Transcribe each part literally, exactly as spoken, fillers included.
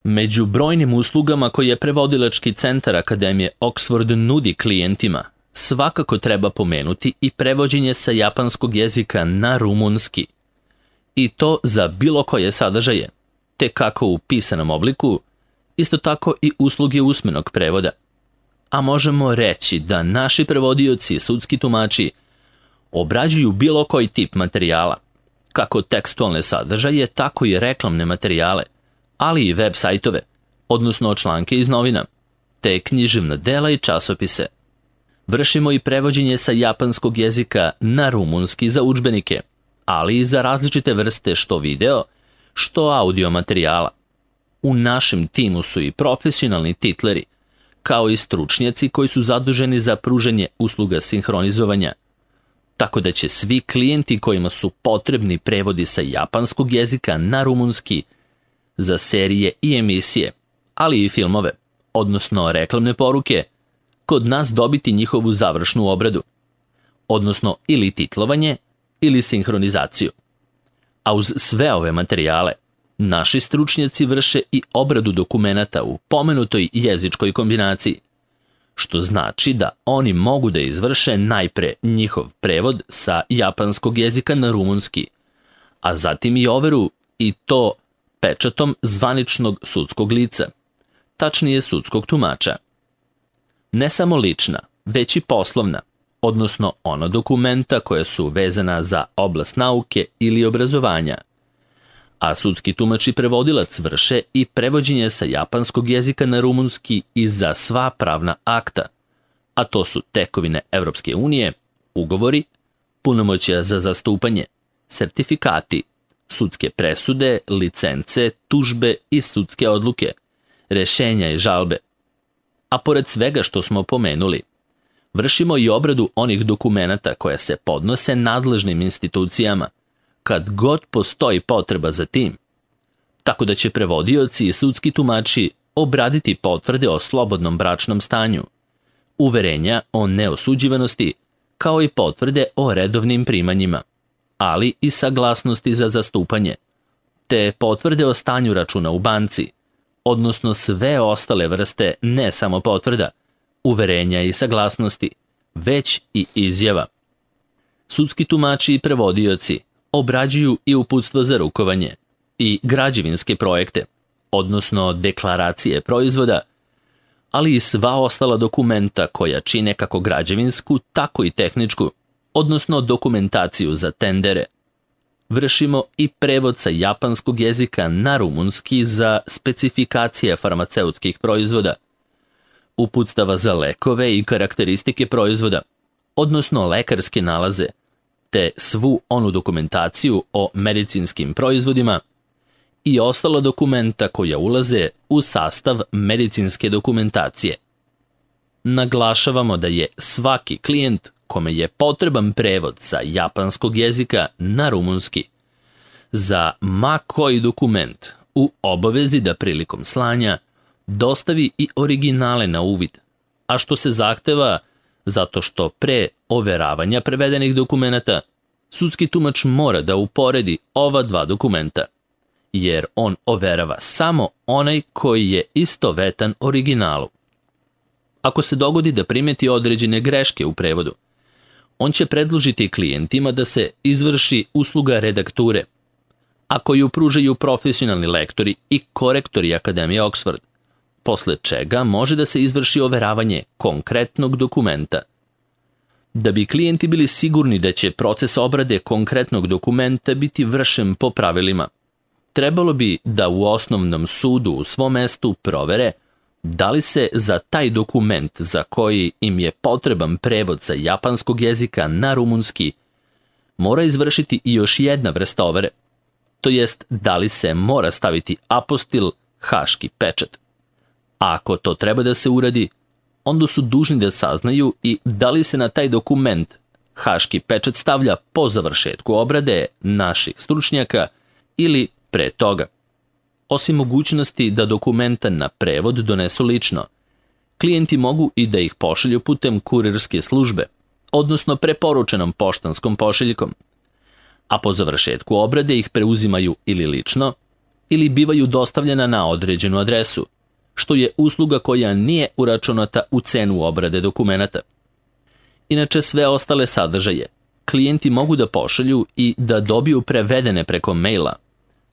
Među brojnim uslugama koje prevodilački centar Akademije Oxford nudi klijentima, svakako treba pomenuti i prevođenje sa japanskog jezika na rumunski. I to za bilo koje sadržaje, te kako u pisanom obliku, isto tako i usluge usmenog prevoda. A možemo reći da naši prevodioci i sudski tumači obrađuju bilo koji tip materijala, kako tekstualne sadržaje, tako i reklamne materijale, ali i web sajtove, odnosno članke iz novina, te književna dela i časopise. Vršimo i prevođenje sa japanskog jezika na rumunski za udžbenike, ali i za različite vrste što video, što audio materijala. U našem timu su i profesionalni titleri, kao i stručnjaci koji su zaduženi za pružanje usluga sinhronizovanja. Tako da će svi klijenti kojima su potrebni prevodi sa japanskog jezika na rumunski za serije i emisije, ali i filmove, odnosno reklamne poruke, kod nas dobiti njihovu završnu obradu, odnosno ili titlovanje ili sinhronizaciju. A uz sve ove materijale, naši stručnjaci vrše i obradu dokumenata u pomenutoj jezičkoj kombinaciji, što znači da oni mogu da izvrše najpre njihov prevod sa japanskog jezika na rumunski, a zatim i overu i to pečatom zvaničnog sudskog lica, tačnije sudskog tumača. Ne samo lična, već i poslovna, odnosno ona dokumenta koja su vezana za oblast nauke ili obrazovanja. A sudski tumač i prevodilac vrše i prevođenje sa japanskog jezika na rumunski i za sva pravna akta, a to su tekovine Evropske unije, ugovori, punomoćja za zastupanje, sertifikati, sudske presude, licence, tužbe i sudske odluke, rešenja i žalbe. A pored svega što smo pomenuli, vršimo i obradu onih dokumenata koja se podnose nadležnim institucijama, kad god postoji potreba za tim, tako da će prevodioci i sudski tumači obraditi potvrde o slobodnom bračnom stanju, uverenja o neosuđivanosti, kao i potvrde o redovnim primanjima, ali i saglasnosti za zastupanje, te potvrde o stanju računa u banci, odnosno sve ostale vrste ne samo potvrda, uverenja i saglasnosti, već i izjava. Sudski tumači i prevodioci obrađuju i uputstva za rukovanje i građevinske projekte, odnosno deklaracije proizvoda, ali i sva ostala dokumenta koja čine kako građevinsku, tako i tehničku, odnosno dokumentaciju za tendere. Vršimo i prevod sa japanskog jezika na rumunski za specifikacije farmaceutskih proizvoda, uputstava za lekove i karakteristike proizvoda, odnosno lekarske nalaze, te svu onu dokumentaciju o medicinskim proizvodima i ostala dokumenta koja ulaze u sastav medicinske dokumentacije. Naglašavamo da je svaki klijent kome je potreban prevod sa japanskog jezika na rumunski za ma koji dokument u obavezi da prilikom slanja dostavi i originale na uvid, a što se zahteva zato što pre overavanja prevedenih dokumenata sudski tumač mora da uporedi ova dva dokumenta, jer on overava samo onaj koji je istovetan originalu. Ako se dogodi da primeti određene greške u prevodu, on će predložiti klijentima da se izvrši usluga redakture, a koju pružaju profesionalni lektori i korektori Akademije Oxford, posle čega može da se izvrši overavanje konkretnog dokumenta. Da bi klijenti bili sigurni da će proces obrade konkretnog dokumenta biti vršen po pravilima, trebalo bi da u osnovnom sudu u svom mestu provere da li se za taj dokument za koji im je potreban prevod sa japanskog jezika na rumunski mora izvršiti i još jedna vrsta overe, to jest da li se mora staviti apostil haški pečat. A ako to treba da se uradi, onda su dužni da saznaju i da li se na taj dokument haški pečat stavlja po završetku obrade naših stručnjaka ili pre toga. Osim mogućnosti da dokumenta na prevod donesu lično, klijenti mogu i da ih pošalju putem kurirske službe, odnosno preporučenom poštanskom pošiljkom, a po završetku obrade ih preuzimaju ili lično, ili bivaju dostavljena na određenu adresu, što je usluga koja nije uračunata u cenu obrade dokumenata. Inače, sve ostale sadržaje klijenti mogu da pošalju i da dobiju prevedene preko maila,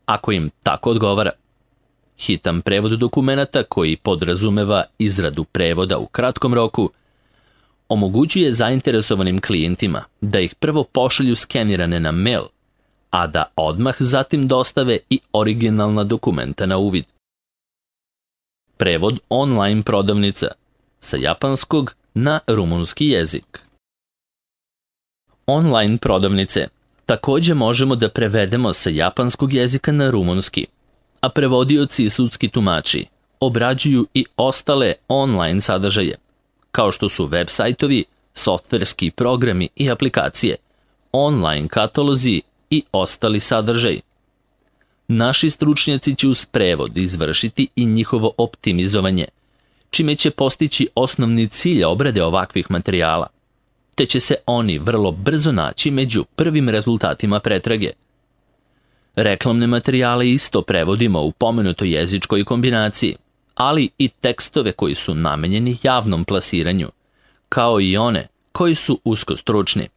ako im tako odgovara. Hitan prevod dokumenata koji podrazumeva izradu prevoda u kratkom roku omogućuje zainteresovanim klijentima da ih prvo pošalju skenirane na mail, a da odmah zatim dostave i originalna dokumenta na uvid. Prevod online prodavnica sa japanskog na rumunski jezik. Online prodavnice također možemo da prevedemo sa japanskog jezika na rumunski, a prevodioci i sudski tumači obrađuju i ostale online sadržaje, kao što su web sajtovi, softverski programi i aplikacije, online katalozi i ostali sadržaji. Naši stručnjaci će uz prevod izvršiti i njihovo optimizovanje, čime će postići osnovni cilj obrade ovakvih materijala, te će se oni vrlo brzo naći među prvim rezultatima pretrage. Reklamne materijale isto prevodimo u pomenutoj jezičkoj kombinaciji, ali i tekstove koji su namenjeni javnom plasiranju, kao i one koji su usko stručni.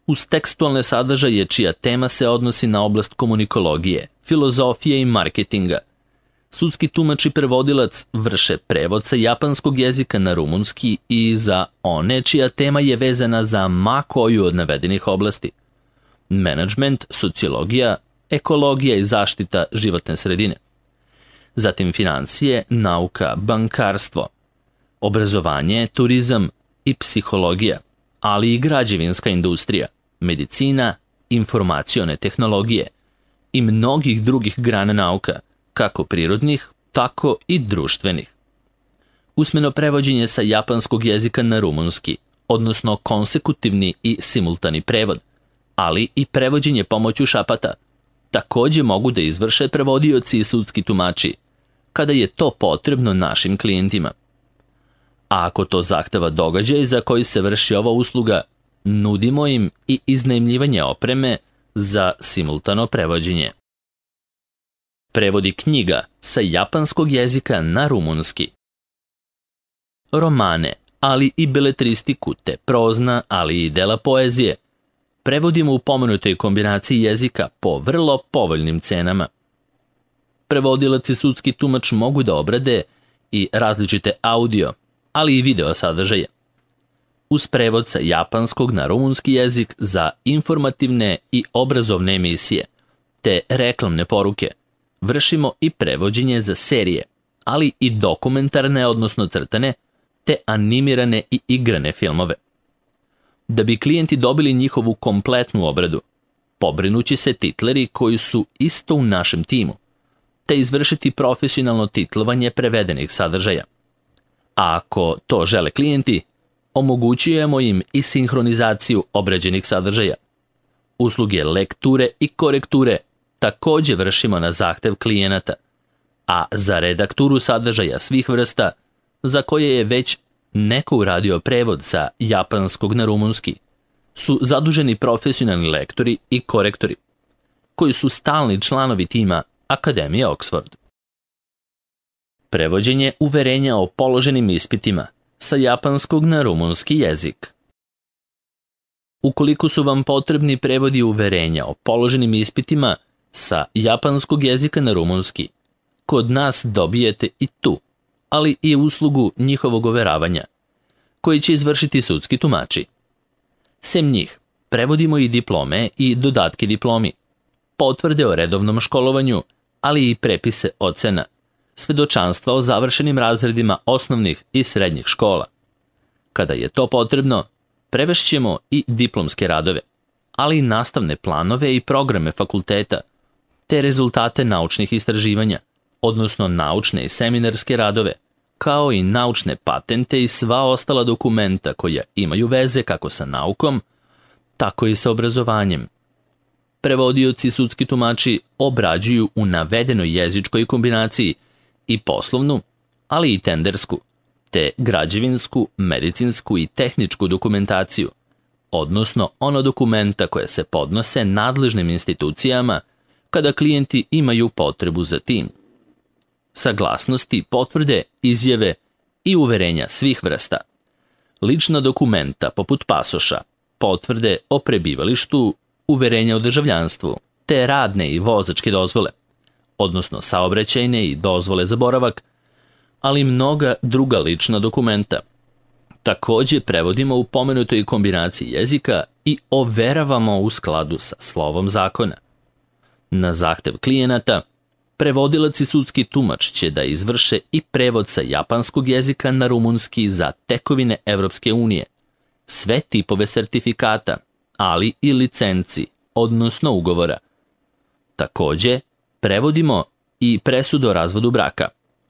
Uz tekstualne sadržaje čija tema se odnosi na oblast komunikologije, filozofije i marketinga, sudski tumač i prevodilac vrše prevod sa japanskog jezika na rumunski i za one čija tema je vezana za ma koju od navedenih oblasti: menadžment, sociologija, ekologija i zaštita životne sredine. Zatim financije, nauka, bankarstvo, obrazovanje, turizam i psihologija, ali i građevinska industrija, medicina, informacione tehnologije i mnogih drugih grana nauka, kako prirodnih, tako i društvenih. Usmeno prevođenje sa japanskog jezika na rumunski, odnosno konsekutivni i simultani prevod, ali i prevođenje pomoću šapata, također mogu da izvrše prevodioci i sudski tumači, kada je to potrebno našim klijentima. A ako to zahteva događaj za koji se vrši ova usluga, nudimo im i iznajmljivanje opreme za simultano prevođenje. Prevodi knjiga sa japanskog jezika na rumunski. Romane, ali i beletristiku te prozna, ali i dela poezije prevodimo u pomenutoj kombinaciji jezika po vrlo povoljnim cenama. Prevodilac i sudski tumač mogu da obrade i različite audio, ali i video sadržaje. Uz prevod sa japanskog na rumunski jezik za informativne i obrazovne emisije, te reklamne poruke, vršimo i prevođenje za serije, ali i dokumentarne, odnosno crtane, te animirane i igrane filmove. Da bi klijenti dobili njihovu kompletnu obradu, pobrinući se titleri koji su isto u našem timu, te izvršiti profesionalno titlovanje prevedenih sadržaja. A ako to žele klijenti, omogućujemo im i sinhronizaciju obrađenih sadržaja. Usluge lekture i korekture također vršimo na zahtev klijenata, a za redakturu sadržaja svih vrsta, za koje je već neko uradio prevod sa japanskog na rumunski, su zaduženi profesionalni lektori i korektori, koji su stalni članovi tima Akademije Oxford. Prevođenje uverenja o položenim ispitima sa japanskog na rumunski jezik. Ukoliko su vam potrebni prevodi uverenja o položenim ispitima sa japanskog jezika na rumunski, kod nas dobijete i tu, ali i uslugu njihovog overavanja, koji će izvršiti sudski tumači. Sem njih, prevodimo i diplome i dodatke diplomi, potvrde o redovnom školovanju, ali i prepise ocena, svedočanstva o završenim razredima osnovnih i srednjih škola. Kada je to potrebno, prevešćemo i diplomske radove, ali i nastavne planove i programe fakulteta, te rezultate naučnih istraživanja, odnosno naučne i seminarske radove, kao i naučne patente i sva ostala dokumenta koja imaju veze kako sa naukom, tako i sa obrazovanjem. Prevodioci i sudski tumači obrađuju u navedenoj jezičkoj kombinaciji i poslovnu, ali i tendersku, te građevinsku, medicinsku i tehničku dokumentaciju, odnosno ono dokumenta koje se podnose nadležnim institucijama kada klijenti imaju potrebu za tim. Saglasnosti, potvrde, izjave i uverenja svih vrsta. Lična dokumenta poput pasoša, potvrde o prebivalištu, uverenja o državljanstvu, te radne i vozačke dozvole, odnosno saobraćajne i dozvole za boravak, ali mnoga druga lična dokumenta. Takođe prevodimo u pomenutoj kombinaciji jezika i overavamo u skladu sa slovom zakona. Na zahtev klijenata, prevodilac i sudski tumač će da izvrše i prevod sa japanskog jezika na rumunski za tekovine Evropske unije, sve tipove sertifikata, ali i licenci, odnosno ugovora. Takođe, prevodimo i presudu o razvodu braka,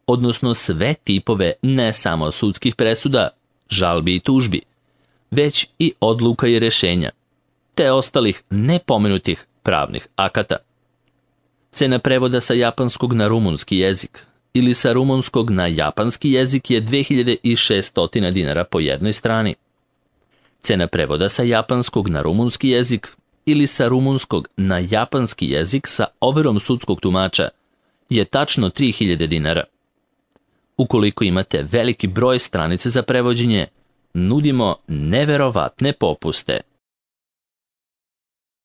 odnosno sve tipove ne samo sudskih presuda, žalbi i tužbi, već i odluka i rešenja, te ostalih nepomenutih pravnih akata. Cena prevoda sa japanskog na rumunski jezik ili sa rumunskog na japanski jezik je dve hiljade šesto dinara po jednoj strani. Cena prevoda sa japanskog na rumunski jezik ili sa rumunskog na japanski jezik sa overom sudskog tumača je tačno tri hiljade dinara. Ukoliko imate veliki broj stranice za prevođenje, nudimo neverovatne popuste.